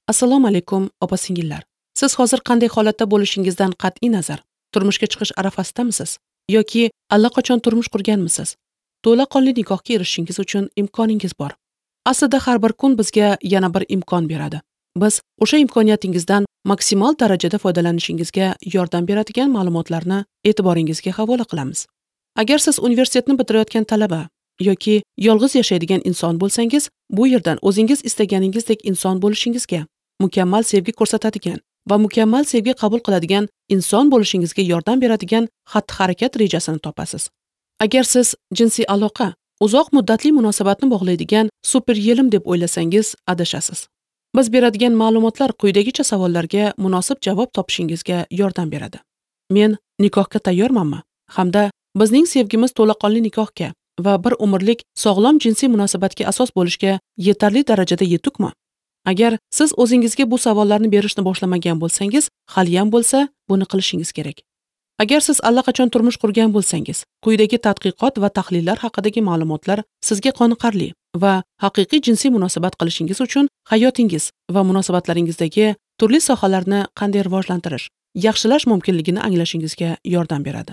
Assalomu alaykum, opa-singillar. Siz hozir qanday holatda bo'lishingizdan qat'iy nazar, turmushga chiqish arafasidamisiz yoki allaqachon turmush qurganmisiz? To'laqonli nikohga erishishingiz uchun imkoningiz bor. Aslida har bir kun bizga yana bir imkon beradi. Biz o'sha imkoniyatingizdan maksimal darajada foydalanishingizga yordam beradigan ma'lumotlarni e'tiboringizga havola qilamiz. Agar siz universitetni bitirayotgan talaba yoki yolg'iz yashaydigan inson bo'lsangiz, bu yerdan o'zingiz istaganingizdek inson bo'lishingizga, mukammal sevgi ko'rsatadigan va mukammal sevgi qabul qiladigan inson bo'lishingizga yordam beradigan xatti-harakat rejasini topasiz. Agar siz jinsiy aloqa uzoq muddatli munosabatni bog'laydigan super yelim deb o'ylasangiz, adashasiz. Biz beradigan ma'lumotlar quyidagicha savollarga munosib javob topishingizga yordam beradi. Men nikohga tayyormanmi? Hamda bizning sevgimiz to'laqonli nikohga va bir umrlik sog'lom jinsiy munosabatga asos bo'lishga yetarli darajada yetukmi? Agar siz o'zingizga bu savollarni berishni boshlamagan bo'lsangiz, haliyam bo'lsa buni qilishingiz kerak. Agar siz allaqachon turmush qurgan bo'lsangiz, quyidagi tadqiqot va tahlillar haqidagi ma'lumotlar sizga qoniqarli va haqiqiy jinsiy munosabat qilishingiz uchun hayotingiz va munosabatlaringizdagi turli sohalarni qanday rivojlantirish, yaxshilash mumkinligini anglashingizga yordam beradi.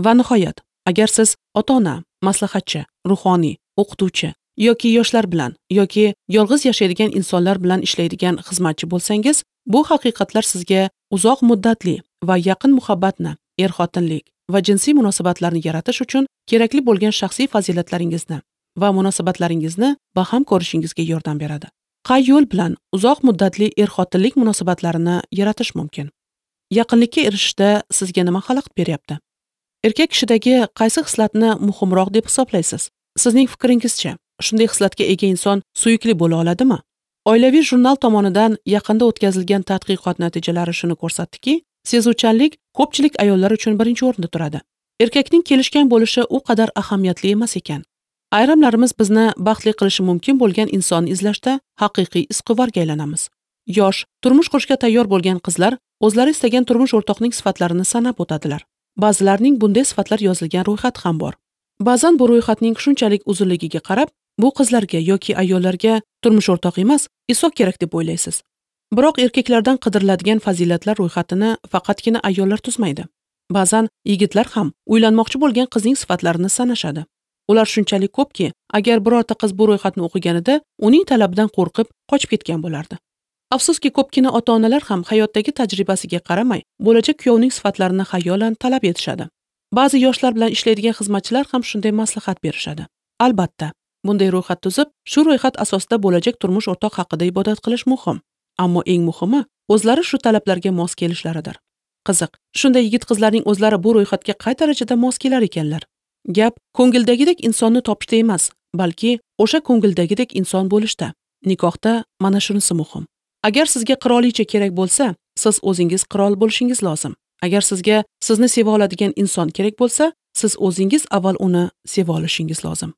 Va nihoyat, agar siz ota-ona, maslahatchi, ruhoniy, o'qituvchi yoki yoshlar bilan yoki yolg'iz yashaydigan insonlar bilan ishlaydigan xizmatchi bo'lsangiz, bu haqiqatlar sizga uzoq muddatli va yaqin muhabbatni, er-xotinlik va jinsiy munosabatlarni yaratish uchun kerakli bo'lgan shaxsiy fazilatlaringizni va munosabatlaringizni baham ko'rishingizga yordam beradi. Qay yo'l bilan uzoq muddatli er-xotinlik munosabatlarini yaratish mumkin? Yaqinlikka erishishda sizga nima xalaqit beryapti? Erkak kishidagi qaysi xislatni muhimroq deb hisoblaysiz? Sizning fikringizcha, shunday xislatga ega inson suyukli bo'la oladimi? Oilaviy jurnal tomonidan yaqinda o'tkazilgan tadqiqot natijalari shuni ko'rsatdiki, sezuvchanlik ko'pchilik ayollar uchun birinchi o'rinda turadi. Erkakning kelishgan bo'lishi u qadar ahamiyatli emas ekan. Ayrimlarimiz bizni baxtli qilishi mumkin bo'lgan insonni izlashda haqiqiy izquvarga aylanamiz. Yosh, turmush qurishga tayyor bo'lgan qizlar o'zlari istagan turmush o'rtoqning sifatlarini sanab o'tadilar. Ba'zilarning bunday sifatlar yozilgan ro'yxati ham bor. Ba'zan bu ro'yxatning shunchalik uzunligiga qarab, bu qizlarga yoki ayollarga turmush o'rtoq emas, isoq kerak deb o'ylaysiz. Biroq erkaklardan qidiriladigan fazilatlar ro'yxatini faqatgina ayollar tuzmaydi. Ba'zan yigitlar ham uylanmoqchi bo'lgan qizning sifatlarini sanashadi. Ular shunchalik ko'pki, agar birorta qiz bu ro'yxatni o'qiganida, uning talabidan qo'rqib qochib ketgan bo'lardi. Afsuski, ko'pgina ota-onalar ham hayotdagi tajribasiga qaramay, bo'lajak kuyovning sifatlarini xayolan talab etishadi. Ba'zi yoshlar bilan ishlaydigan xizmatchilar ham shunday maslahat berishadi. Albatta, bunday ro'yxat tuzib, shu ro'yxat asosida bo'lajak turmush o'rtoq haqida ibodat qilish muhim. Ammo eng muhimi, o'zlari shu talablarga mos kelishlaridir. Qiziq, shunday yigit-qizlarning o'zlari bu ro'yxatga qay darajada mos kelar ekanlar? Gap ko'ngildagidek insonni topishda emas, balki o'sha ko'ngildagidek inson bo'lishda. Nikohda mana shunisi muhim. Agar sizga qirolicha kerak bo'lsa, siz o'zingiz qirol bo'lishingiz lozim. Agar sizga sizni seva oladigan inson kerak bo'lsa, siz o'zingiz avval uni seva olishingiz lozim.